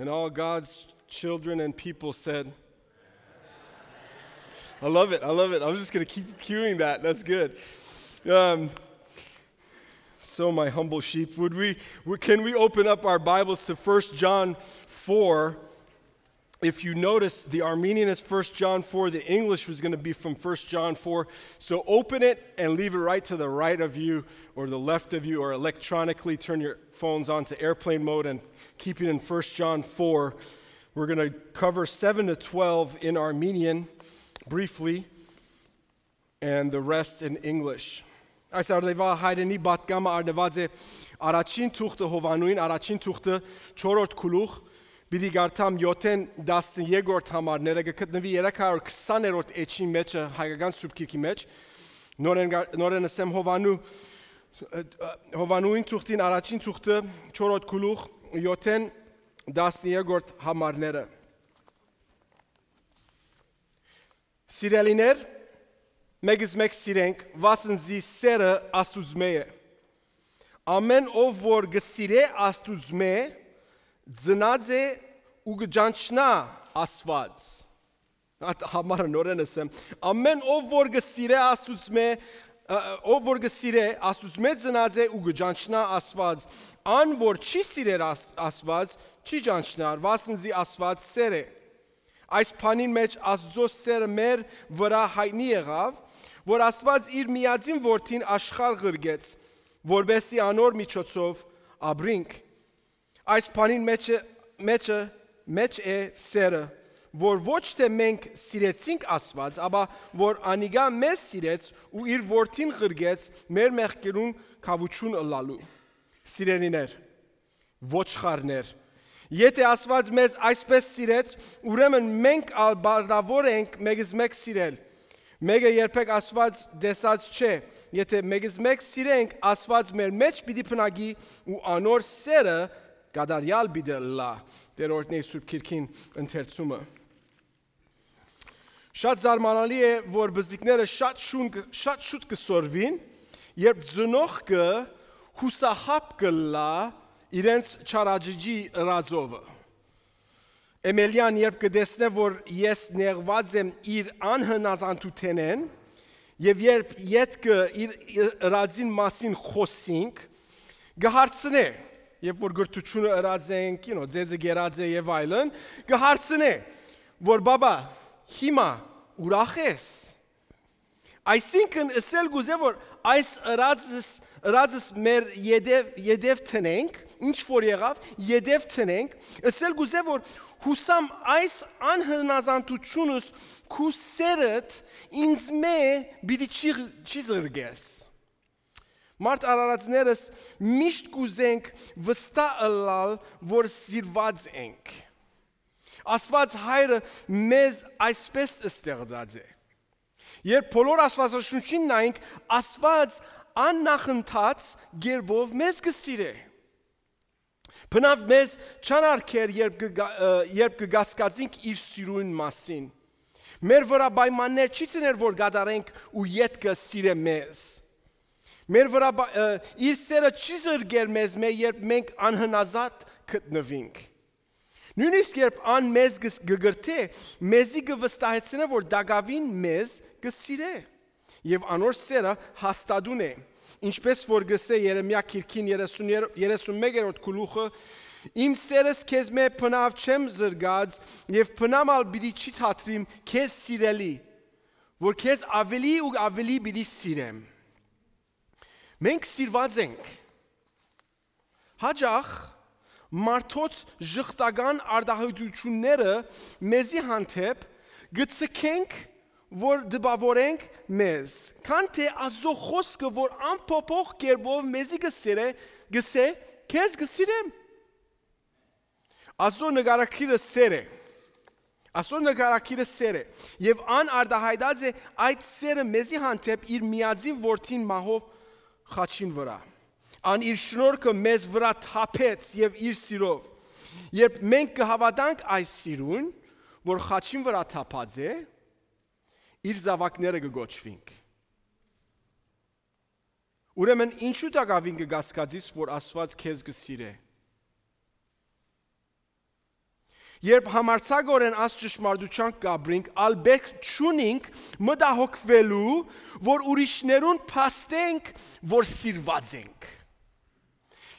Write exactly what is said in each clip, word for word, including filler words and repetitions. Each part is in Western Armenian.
And all God's children and people said, I love it. I love it. I'm just going to keep cueing that. That's good. Um, so, my humble sheep, would we, we can we open up our Bibles to First John four? If you notice, the Armenian is First John four. The English was going to be from First John four. So open it and leave it right to the right of you or the left of you, or electronically turn your phones on to airplane mode and keep it in First John four. We're going to cover seven to twelve in Armenian briefly and the rest in English. Այս արդեւա հայրենի պատկամը արնուած է առաջին թուղթը Յովաննուին, առաջին թուղթը չորրորդ գլուխ, պիտի կարդամ յոթ-ին տասներկրորդ համարները, կը գտնուի երեք հարյուր քսաներորդ էջին մէջը, հայկական Սուրբ Գիրքի մէջ, նորէն գա-, նորէն ըսեմ Յովաննու, ը, ը, Յովաննուին թուղթին առաջին թուղթը չորրորդ գլուխ, յոթ-ին տասներկրորդ համարները։ Սիրելիներ, մեկս մէկ սիրենք, վասն զի սերը Աստուծմէ է։ Ամէն ով որ կը սիրէ Աստուծմէ, ծնած է ու կը ճանչնայ Աստուած։ Այդ համարը նորէն ըսեմ։ Ամէն ով որ կը սիրէ Աստուծմէ, ը, ով որ կը սիրէ, Աստուծմէ ծնած է ու կը ճանչնայ Աստուած։ Ան որ չի սիրեր Աս-, Աստուած, չի ճանչնար, վասն զի Աստուած սեր է։ Այս բանին մէջ Աստուծոյ սերը մեր վրայ յայտնի եղաւ, որ Աստուած իր միածին որդին աշխարհ ղրկեց, որպեսզի անոր միջոցով ապրինք։ Այս բանին մէջը, մէջը, մէջ է սերը, որ ոչ թէ մենք սիրեցինք Աստուած, ապա որ անիկա մեզ սիրեց ու իր որդին ղրկեց մեր մեղքերուն քաւութիւն ըլլալու։ Սիրելիներ, ոչխարներ։ Եթէ Աստուած մեզ այսպէս սիրեց, ուրեմն մենք ալ պարտաւոր ենք մեկս մէկ սիրել։ Մէկը երբեք Աստուած տեսած չէ։ Եթէ մեկս մէկ սիրենք, Աստուած մեր մէջ պիտի բնակի ու անոր սերը կատարեալ պիտի ըլլայ։ Տէր օրհնէ Սուրբ Գիրքին ընթերցումը։ Շատ զարմանալի է, որ բզդիկները շատ շուն կը, շատ շուտ կը սորվին, երբ ծնողքը յուսահապ կ'ըլլայ իրենց չարաճճի ըրածովը։ Էմելիան երբ կը տեսնէ, որ ես նեղուած եմ իր անհնազանդութենէն, եւ երբ ետքը իր, իր ըրածին մասին խօսինք, կը հարցնէ, երբ որ գրթութիւնը ըրած ենք, you know, ձեզը կերած է եւ այլն, կը հարցնէ, որ բաբա, հիմա ուրախ ես։ Այսինքն, ըսել կուզէ, որ այս ըրածս, ըրածս մեր ետեւ, ետեւ տնենք, ինչ որ եղաւ, ետեւ տնենք, ըսել կուզէ, որ յուսամ այս անհնազանդութիւնս քու սերդ ինձմէ պիտի չի, չի զրկես։ Մարդ արարածներս միշտ կուզենք վստահ ըլլալ, որ սիրված ենք։ Աստուած Հայրը մեզ այսպէս ստեղծած է։ Երբ բոլոր Աստուածաշունչին նայենք, Աստուած աննախընթաց կերպով մեզ կը սիրէ։ Բնաւ մեզ չան արգեր, երբ կը գա-, ը, երբ կը կասկածենք իր սիրուն մասին։ Մեր վրայ պայմաններ չի դներ, որ կատարենք ու ետքը սիրէ մեզ։ Մեր վրայ պա-, ը, իր սերը չի զրկեր մեզմէ, երբ մենք անհնազատ գտնուինք։ Նոյնիսկ երբ ան մեզ կը, կը գրթէ, մեզի կը վստահեցնէ, որ տակաւին մեզ կը սիրէ, եւ անոր սերը հաստատուն է։ Ինչպէս որ կ'ըսէ Երեմիա գիրքին երեսուն, երեսուն մեկերորդ գլուխը, «Իմ սերս քեզմէ բնաւ չեմ զրկած, եւ բնամ ալ պիտի չի թատրիմ քեզ սիրելի, որ քեզ աւելի ու աւելի պիտի սիրեմ»։ Մենք սիրված ենք։ Հաճախ մարդոց ժխտական արտահայտությունները մեզի հանդէպ կը ձգենք, որ տպաւորենք մեզ, քան թէ Աստուծոյ խօսքը, որ անփոփոխ կերպով մեզի կը սիրէ, կ'ըսէ, «Քեզ կը սիրեմ»։ Աստուծոյ նկարագիրը սեր է։ Աստուծոյ նկարագիրը սեր է։ Եւ ան արտահայտած է այդ սերը մեզի հանդէպ իր միածին որդին մահով խաչին վրայ։ Ան իր շնորհքը մեզ վրայ թափեց եւ իր սիրով։ Երբ մենք կը հաւատանք այս սիրուն, որ խաչին վրայ թափած է, իր զաւակները կը կոչուինք։ Ուրեմն ինչու տակաւին կը կասկածիս, որ Աստուած քեզ կը սիրէ։ Երբ համարձակօրէն աս ճշմարտութեան կապրինք, ալ պէտք չունինք մտահոգուելու, որ ուրիշներուն փաստենք, որ սիրուած ենք։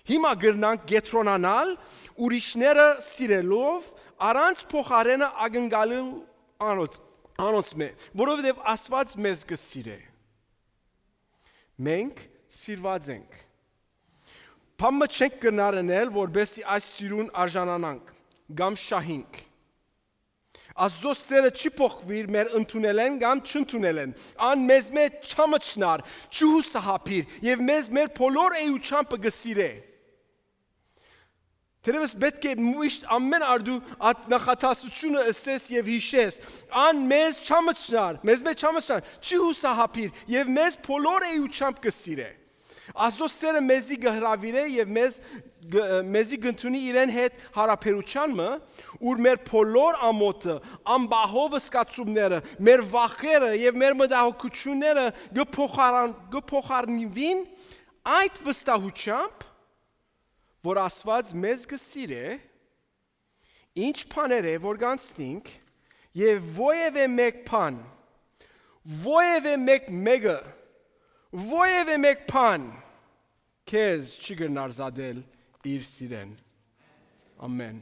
Հիմա կրնանք կեդրոնանալ ուրիշները սիրելով, առանց փոխարէնը ակնկալել անոնց, անոնցմէ, որովհետեւ Աստուած մեզ կը սիրէ։ Մենք սիրուած ենք։ Բան մը չենք կրնար ընել, որպեսզի այս սիրուն արժանանանք կամ շահինք։ Աստուծոյ սէրը չի փոխուիր մեր ընդունելէն կամ չընդունելէն։ Ան մեզմէ չամչնար, չյուսահապիր եւ մեզ մեր բոլոր էութեամբը կը սիրէ։ Թերեւս պէտք է միշտ ամէն արտու այդ նախադասութիւնը ըսես եւ յիշես։ Ան մեզ չամչնար, մեզմէ չամչնար, չյուսահապիր եւ մեզ բոլոր էութեամբը կը սիրէ։ Աստուծոյ սէրը մեզի կը հրաւիրէ եւ մեզ գ-, մեզի կ'ընդունի իրեն հետ յարաբերութեան մը, ուր մեր բոլոր ամօթը, անբահով զգացումները, մեր վախերը եւ մեր մտահոգութիւնները կը փոխարան-, կը փոխարինուին այդ վստահութեամբ, որ Աստուած մեզ կը սիրէ, ինչ բաներ է որ կանցնինք, եւ որեւէ մէկ բան, որեւէ մէկ մէկը, որեւէ մէկ բան քեզ չի կրնար զատել իր սիրէն։ Ամեն։